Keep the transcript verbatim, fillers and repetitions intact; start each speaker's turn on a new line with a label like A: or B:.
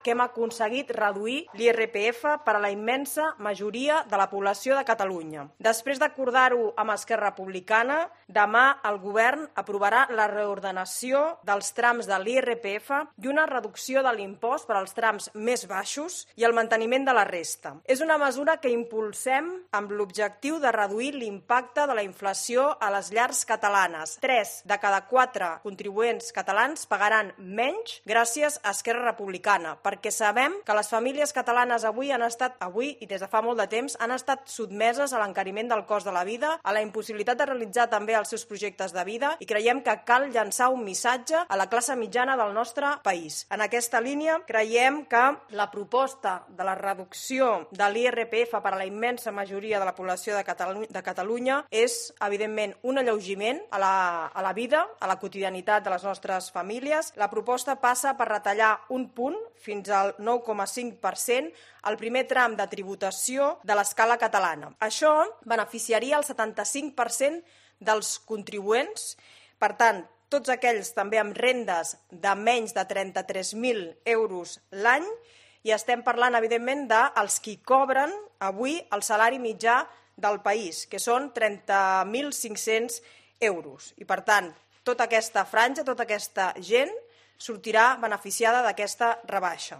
A: que hem aconseguit reduir l'I R P F per a la immensa majoria de la població de Catalunya. Després d'acordar-ho amb Esquerra Republicana, demà el Govern aprovarà la reordenació dels trams de l'I R P F i una reducció de l'impost per als trams més baixos i el manteniment de la resta. És una mesura que impulsem amb l'objectiu de reduir l'impacte de la inflació a les llars catalanes. Tres de cada quatre contribuents catalans pagaran menys gràcies a Esquerra Republicana, perquè sabem que les famílies catalanes avui han estat, avui i des de fa molt de temps, han estat sotmeses a l'encariment del cost de la vida, a la impossibilitat de realitzar també els seus projectes de vida, i creiem que cal llançar un missatge a la classe mitjana del nostre país. En aquesta línia, creiem que la proposta de la reducció de l'I R P F per a la immensa majoria de la població de Catalunya, de Catalunya és, evidentment, un alleugiment a la, a la vida, a la quotidianitat de les nostres famílies. La proposta passa per retallar un punt fins al nou coma cinc per cent el primer tram de tributació de l'escala catalana. Això beneficiaria el setanta-cinc per cent dels contribuents. Per tant, tots aquells també amb rendes de menys de trenta-tres mil euros l'any, i estem parlant, evidentment, dels qui cobren avui el salari mitjà del país, que són trenta mil cinc-cents euros. I, per tant, tota aquesta franja, tota aquesta gent sortirà beneficiada d'aquesta rebaixa.